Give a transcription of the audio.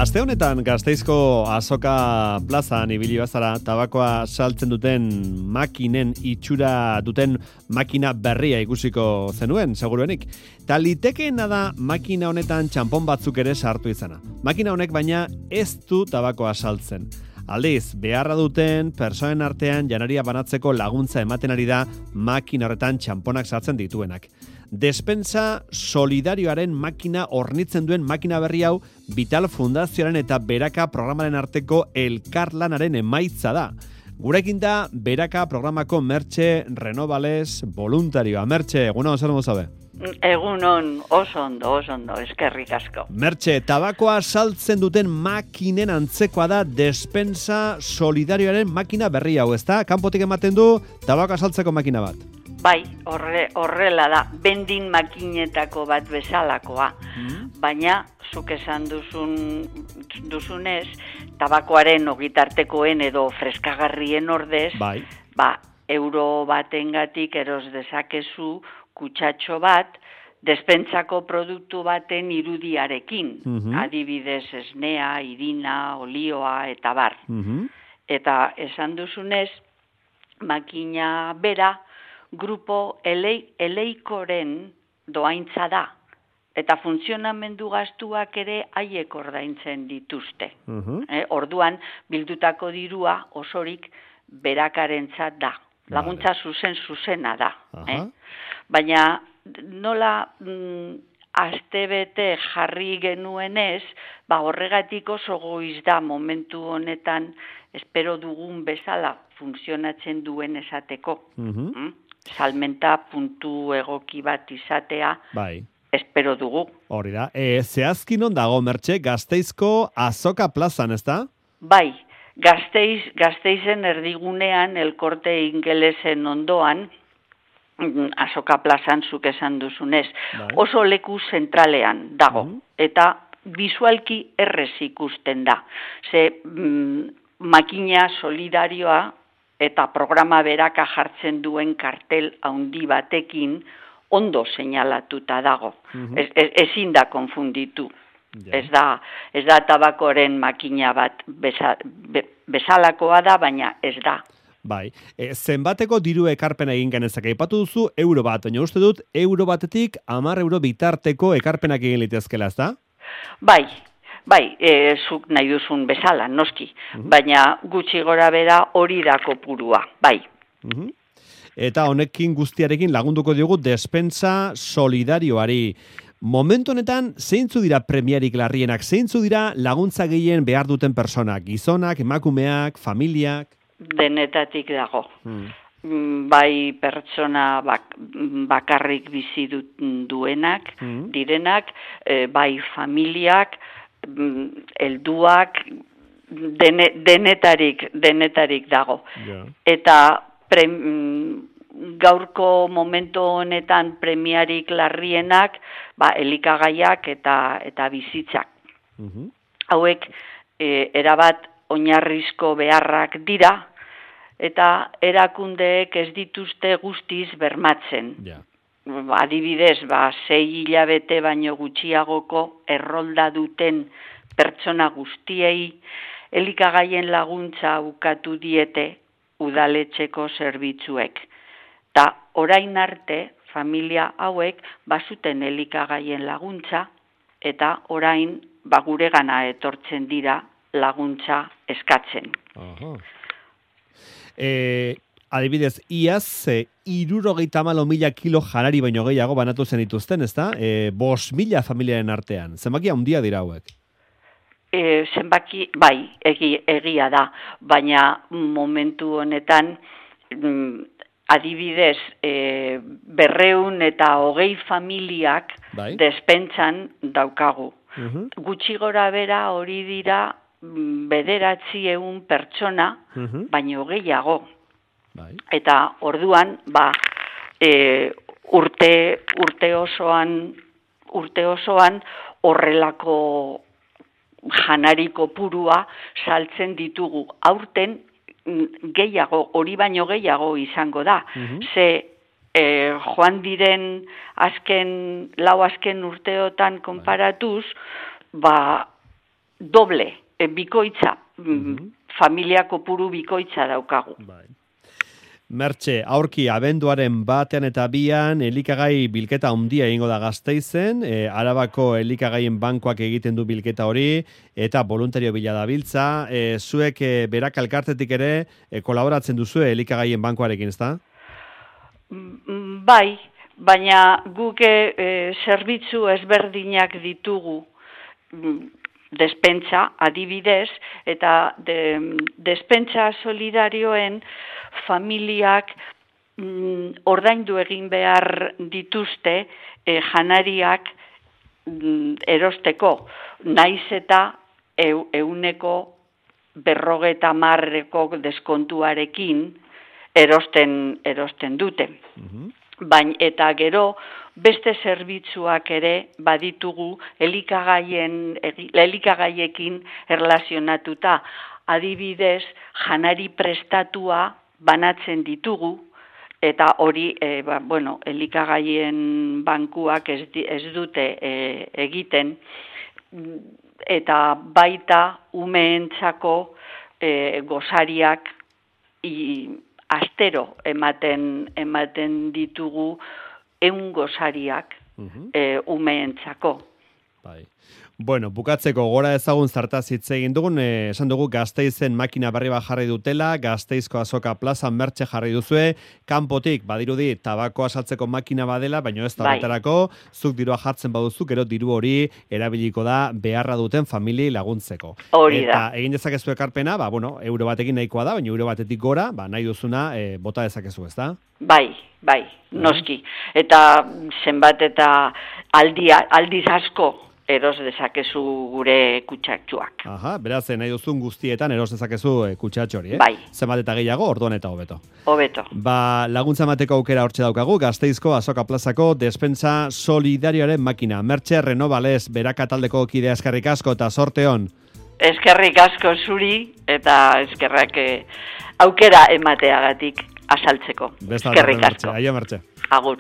Aste honetan Gasteizko Azoka plazan ibili bazara tabakoa saltzen duten makinen itxura duten makina berria ikusiko zenuen, seguruenik. Ta litekeena da makina honetan txanpon batzuk ere sartu izana. Makina honek baina ez du tabakoa saltzen. Aldiz, beharra duten pertsonen artean janaria banatzeko laguntza ematen ari da makina horretan txanponak sartzen dituenak. Despensa solidarioaren makina hornitzen duen makina berri hau Vital Fundazioaren eta Beraka programaren arteko elkarlanaren emaitza da. Gurekin da Beraka programako Mertxe Renovales voluntarioa. Mertxe, egunon, zer modu zabe? Egunon, oso ondo, eskerrik asko. Mertxe, tabakoa saltzen duten makinen antzekoa da Despensa solidarioaren makina berri hau, ezta? Kanpotik ematen du tabakoa saltzeko makina bat. Bai, horrela da, bendin makinetako bat bezalakoa. Baina, zuk esan duzunez, tabakoaren ogitartekoen edo freskagarrien ordez, bai. Euro batengatik eros dezakezu kutsatxo bat, despentsako produktu baten irudiarekin. Adibidez, esnea, irina, olioa eta bar. Eta esan duzunez, makina bera, grupo eleikoren doaintza da, eta funtzionamendu gastuak ere haiek ordaintzen dituzte. Orduan, bildutako dirua osorik berakarentzat da. Laguntza zuzena da. Baina nola astebete jarri genuenez, horregatik oso goiz da momentu honetan espero dugun bezala funtzionatzen duen esateko. Salmenta puntu egoki bat izatea, espero dugu. Hori da. Zehazki non dago, Mertxe, Gasteizko Azoka plazan, ez da? Bai, Gasteizen erdigunean, elkorte ingelesen ondoan, Azoka plazan zuk esan duzunez. Oso leku zentralean dago, eta bisualki errez ikusten da. Ze makina solidarioa eta programa beraka jartzen duen kartel handi batekin ondo seinalatuta dago. Ezin da konfunditu. Ez da tabakoren makina bat bezalakoa da, baina ez da. Bai, zenbateko diru ekarpena egin genezak, aipatu duzu euro bat, baina uste dut euro batetik 10 euro bitarteko ekarpenak egin litezkela, ez da? Bai, zuk nahi duzun bezala, noski, baina gutxi gora bera hori da kopurua, bai. Eta honekin guztiarekin lagunduko diogu Despensa solidarioari. Momentu honetan, zeintzu dira premiarik larrienak, zeintzu dira laguntza gehien behar duten personak, gizonak, emakumeak, familiak? Denetatik dago. Bai pertsona bakarrik bizi duenak, direnak, bai familiak, helduak, denetarik dago. Eta gaurko momentu honetan premiarik larrienak, elikagaiak eta bizitzak. Hauek erabat oinarrizko beharrak dira, eta erakundeek ez dituzte guztiz bermatzen. Adibidez, 6 hilabete baino gutxiagoko errolda duten pertsona guztiei elikagaien laguntza ukatu diete udaletxeko zerbitzuek. Ta orain arte, familia hauek bazuten elikagaien laguntza, eta orain guregana etortzen dira laguntza eskatzen. Adibidez, iaz 74.000 kilo janari baino gehiago banatu zen dituzten, ezta? 5.000 familiaren artean. Zenbaki handia dira hauek? Zenbaki, bai, egia da, baina momentu honetan adibidez 220 familiak despentsan daukagu. Gutxi gora bera hori dira 900 pertsona, baino gehiago. Eta orduan, urte osoan horrelako janari kopurua saltzen ditugu. Aurten gehiago, hori baino gehiago izango da. Ze joan diren lau azken urteotan konparatuz, doble, bikoitza, familia kopuru bikoitza daukagu. Mertxe, aurki abenduaren 1 eta 2 elikagai bilketa handia egingo da Gasteizen, Arabako elikagaien bankuak egiten du bilketa hori, eta voluntario bila dabiltza, zuek berak elkartetik ere kolaboratzen duzu elikagaien bankuarekin, ezta? Bai, baina guk zerbitzu ezberdinak ditugu, despentsa, adibidez, eta despentsa solidarioen familiak ordaindu egin behar dituzte janariak erosteko, naiz eta 50% deskontuarekin erosten dute. Eta gero beste zerbitzuak ere baditugu elikagaiekin erlazionatuta. Adibidez, janari prestatua banatzen ditugu, eta hori, elikagaien bankuak ez dute egiten, eta baita umeentzako gosariak astero ematen ditugu 100 gosariak umeentzako. Bai. Bueno, bukatzeko gora ezagun zartaz hitz egin dugun, esan dugu Gasteizen makina berri bat jarri dutela, Gasteizko Azoka Plazan Mertxe jarri duzue, kanpotik badirudi tabakoa saltzeko makina badela, baina ez da horretarako, zuk dirua jartzen baduzu, gero diru hori erabiliko da beharra duten familiei laguntzeko. Hori da. Eta egin dezakezu ekarpena, euro batekin nahikoa da, baina euro batetik gora, nahi duzuna bota dezakezu, ezta? Bai, noski. Eta zenbat eta aldiz asko eros dezakezu gure kutsatxoak. Aha, beraz, nahi duzun guztietan eros dezakezu kutsatxo hori, Bai. Zenbat eta gehiago, orduan eta hobeto. Hobeto. Laguntza emateko aukera hortxe daukagu, Gasteizko Azoka Plazako despensa solidarioaren makina. Mertxe Renovales, beraka taldeko kidea eskerrik asko eta sorte hon. Eskerrik asko zuri eta eskerrak aukera emateagatik azaltzeko. Eskerrik asko. Aio, Mertxe. Agur.